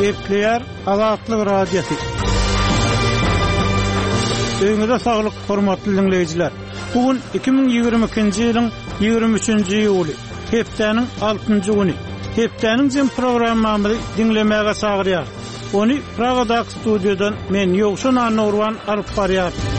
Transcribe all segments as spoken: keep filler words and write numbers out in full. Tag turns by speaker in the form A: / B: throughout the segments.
A: Gepleýär Azatlyk Radiosy. Öýüňize saglyk, hormatly diňleýjiler. Bu gün iki müň ýigrimi ikinji ýylyň ýigrimi üçünji iýuly, hepdäniň altynjy güni. Hepdäniň jem programmamyzy diňlemäge çagyrýarys. Ony Pragadaky studiýadan men Ýowşan Annagurban alyp barýaryn.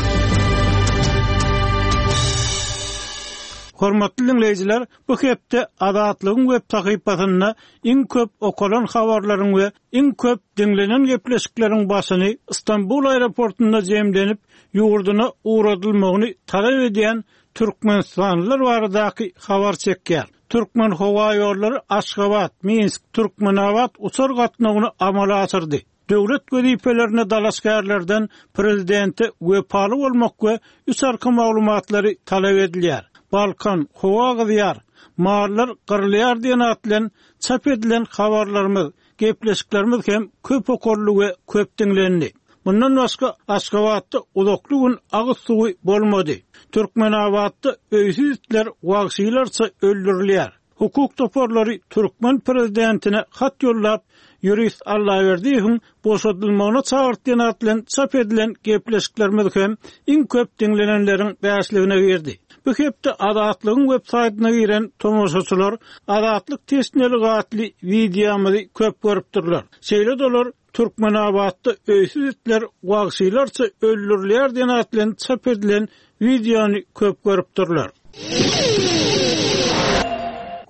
A: Hormatly diňleýjiler, bu hepde Azatlygyň web sahypasynda iň köp okalan habarlaryň we iň köp diňlenen gepleşikleriň başyny Istanbul aeroportunda jemlenip, ýurduna ugradylmagyny talap edýän türkmenistanlylar baradaky habar çekýär. Türkmen howa ýollary Aşgabat, Minsk, Türkmenabat uçar gatnawyny amala aşyrdy. Döwlet wezipelerine dalaşgärlerden prezidente wepaly bolmak we üç arka maglumatlary talap edilýär. Balkan, howa gyzýar, mallar gyrylýar diýen at bilen çap edilen habarlarymyz, gepleşiklerimiz hem köp okaldy we köp diňlendi. Mundan başga Aşgabatda uzakly gün agyz suwy bolmady. Türkmenabatda öýsüz itler wagşylarça öldürilýär. Hukuk toparlary türkmen prezidentine hat ýollap, ýurist Allaberdiýewiň boşadylmagyna çagyrtýan at bilen çap edilen gepleşiklerimiz hem iň köp diňlenenleriň bäşligine girdi. Bu hepde Azatlygyň web saýtyna giren tomaşaçylar Azatlyk teşneligi atly wideomyzy köp görüpdirler. Şeýle dolar Türkmenabatda öýsüz itler wagşylarça öldürilýär diýen at bilen çap edilen wideony köp görüpdirler.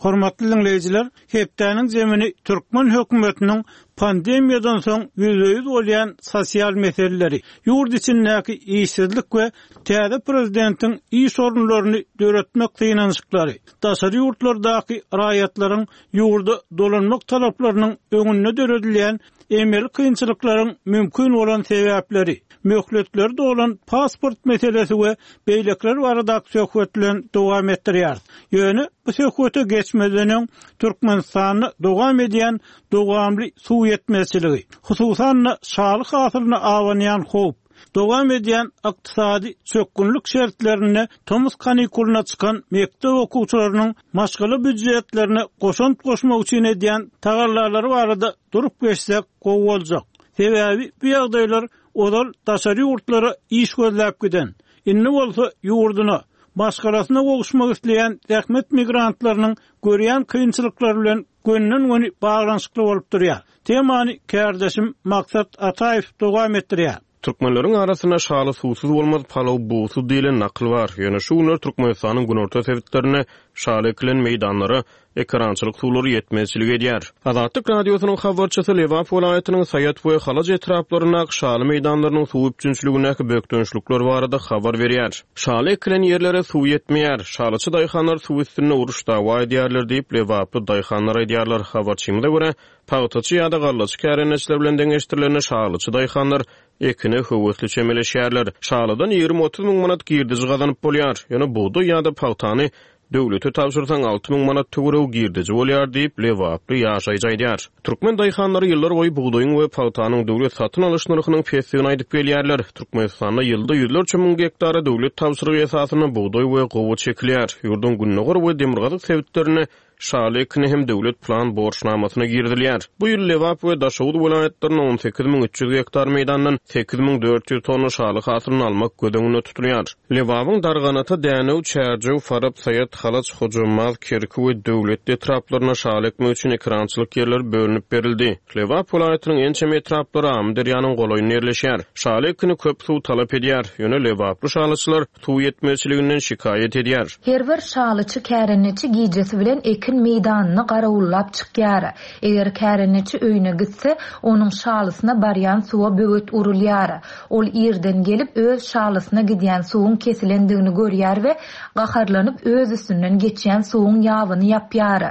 A: Hormatly diňleýjiler, hepdäniň zemini türkmen hökümetiniň pandemiýadan soň ýüzbe-ýüz bolýan sosial meseleleri, ýurt içindäki işsizlik we täze prezidentiň iş orunlaryny döretmek synanyşyklary, daşary ýurtlardaky raýatlaryň ýurda dolanmak talaplarynyň öňünde döredilýän emeli kynçylyklaryň mümkin bolan sebäpleri, möhletleri dolan pasport meselesi we beýlekiler baradaky söhbet bilen dowam etdirýär. Ýöne bu söhbete geçmeden öň Türkmenistanda dowam edýän dowamly suw ýetmezçiligi, hususan-da şaly hasylyna abanýan howp, dowam edýän ykdysady çökgünlik şertlerinde tomus kanikulyna çykan mekdep okuwçylarynyň maşgala býujetlerine goşant goşmak üçin edýän tagallalary barada durup geçsek gowy boljak. Sebäbi bu ýagdaýlar ozal daşary ýurtlara iş gözläp giden, indi bolsa ýurduna, maşgalasyna gowuşmak isleýän zähmet migrantlarynyň görýän kynçylyklary bilen gönden-göni baglanyşykly bolup durýar. Temany kärdeşim Maksat Ataýew dowam etdirýär.
B: Türkmenleriň arasynda şaly suwsuz bolmaz, palaw bugsuz diýlen nakyl bar. Ýöne şu günler Türkmenistanyň günorta sebitlerinde şaly ekilen meýdanlara ekerançylyk suwlary ýetmezçilik edýär. Azatlyk Radiosynyň habarçysy Lebap welaýatynyň Saýat we Halaç etraplaryndaky şaly meýdanlarynyň suw üpjünçiligindäki bökdençlikler barada habar berýär. Şaly ekilen ýerlere suw ýetmeýär. Şalyçy daýhanlar suw üstünde uruş dawa edýärler diýip Lebaply daýhanlar aýdýarlar. Habarçymyza görä, pagtaçy ýa-da gallaçy kärendeçiler bilen deňeşdirilende şalyçy daýhanlar ekine höwesli çemeleşýärler. Şalydan ýigrimi otuz müň manat girdiji gazanyp bolýar. Ýöne bugdaý ýa-da pagtany döwlete tabşyrsaň alty müň manat töweregi girdiji bolýar diýip Lebaply ýaşaýjy aýdýar. Türkmen daýhanlary ýyllar boýy bugdaýyň we pagtanyň döwlet satyn alyş nyrhynyň pesdigini aýdyp gelýärler. Türkmenistanda ýylda ýüzlerçe müň gektara döwlet tabşyrygy esasynda bugdaý we gowaça ekilýär. Ýurduň gündogar we demirgazyk sebitlerinde şaly ekini hem döwlet plan borçnamasyna girizilýär. Bu ýyl Lebap we Daşoguz welaýatlarynda on sekiz müň üç ýüz gektar meýdandan sekiz müň dört ýüz tonna şaly hasylyny almak göz öňünde tutulýar. Lebabyň Darganata, Dänew, Çärjew, Farap, Saýat, Halaç, Hojambaz, Kerki we Döwletli etraplarynda şaly ekmek üçin ekerançylyk ýerleri bölünip berildi. Lebap welaýatynyň ençeme etraplary Amyderýanyň golaýynda ýerleşýär. Şaly ekini köp suw talap edýär. Ýöne Lebaply şalyçylar suw ýetmezçiliginden şikaýat edýär.
C: Her bir şalyçy kärendeçi gijesi bilen ekin meýdanyny garawullap çykýar. Eger kärendeçi öýüne gitse, onuň şalysyna barýan suwa böwet urulýar. Ol ýerden gelip öz şalysyna gidýän suwuň kesilendigini görýär we gaharlanyp öz üstünden geçýän suwuň ýabyny ýapýar.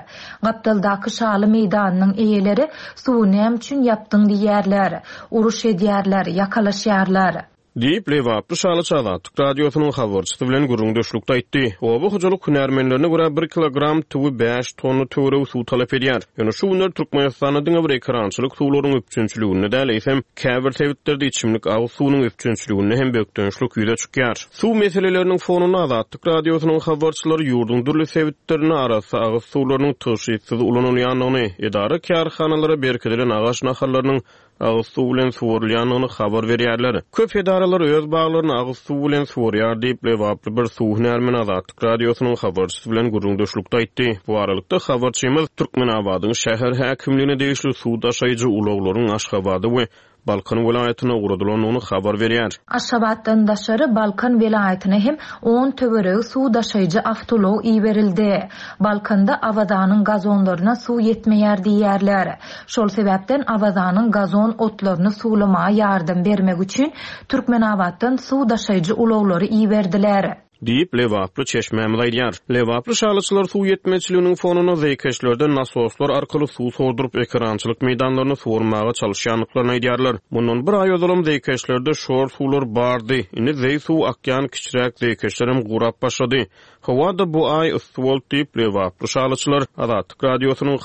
C: Gapdaldaky şaly meýdanynyň eýeleri suwy näme üçin ýapdyň diýerler. Uruş edýärler, ýakalaşýarlar.
B: Diýip, lebaply şalyçy Azatlyk Radiosynyň habarçysy bilen gürrüňdeşlikde aýtdy. Oba hojalyk hünärmenlerine görä, bir kilogram tüwi bäş tonna töweregi suw talap edýär. Ýöne şu günler Türkmenistanda diňe bir ekerançylyk suwlaryň üpjünçiliginde däl, eýsem, käbir sebitlerde içimlik agyz suwunyň üpjünçiliginde hem bökdençlik ýüze çykýar. Suw meseleleriniň fonunda Azatlyk Radiosynyň habarçylary ýurduň dürli sebitlerinde arassa agyz suwlarynyň tygşytsyz ulanylýandygyny, edara-kärhanalara berkidilen agaç nahallarynyň agyz suw bilen suwarylýandygyny habar berýärler. Köp edaralar öz baglaryny agyz suw bilen suwarýar diýip, lebaply bir suw hünärmeni Azatlyk Radiosynyň habarçysy bilen gürrüňdeşlikde aýtdy. Bu aralykda, habarçymyz Türkmenabadyň şäher häkimligine degişli suw daşaýjy ulaglaryň Aşgabada we Balkan welaýatyna ugradylandygyny habar berýär.
C: Aşgabatdan daşary Balkan welaýatyna hem on töweregi suw daşaýjy awtoulag iberildi. Balkanda Awazanyň gazonlaryna suw ýetmeýär diýýärler. Şol sebäpden Awazanyň gazon otlaryny suwlamaga ýardam bermek üçin Türkmenabatdan suw daşaýjy ulaglary iberdiler.
B: Diýip, lebaply çeşmämiz aýdýar. Lebaply şalyçylar suw ýetmezçiliginiň fonunda zeýkeşlerden nasoslar arkaly suw sorduryp, ekerançylyk meýdanlaryny suwarmaga çalyşýandyklaryny aýdýarlar. Mundan bir aý ozalam zeýkeşlerde şor suwlar bardy. Indi zeý suwy akýan kiçiräk zeýkeşlerem gurap başlady. Howa-da bu aý yssy boldy diýip, lebaply şalyçylar Azatlyk Radiosynyň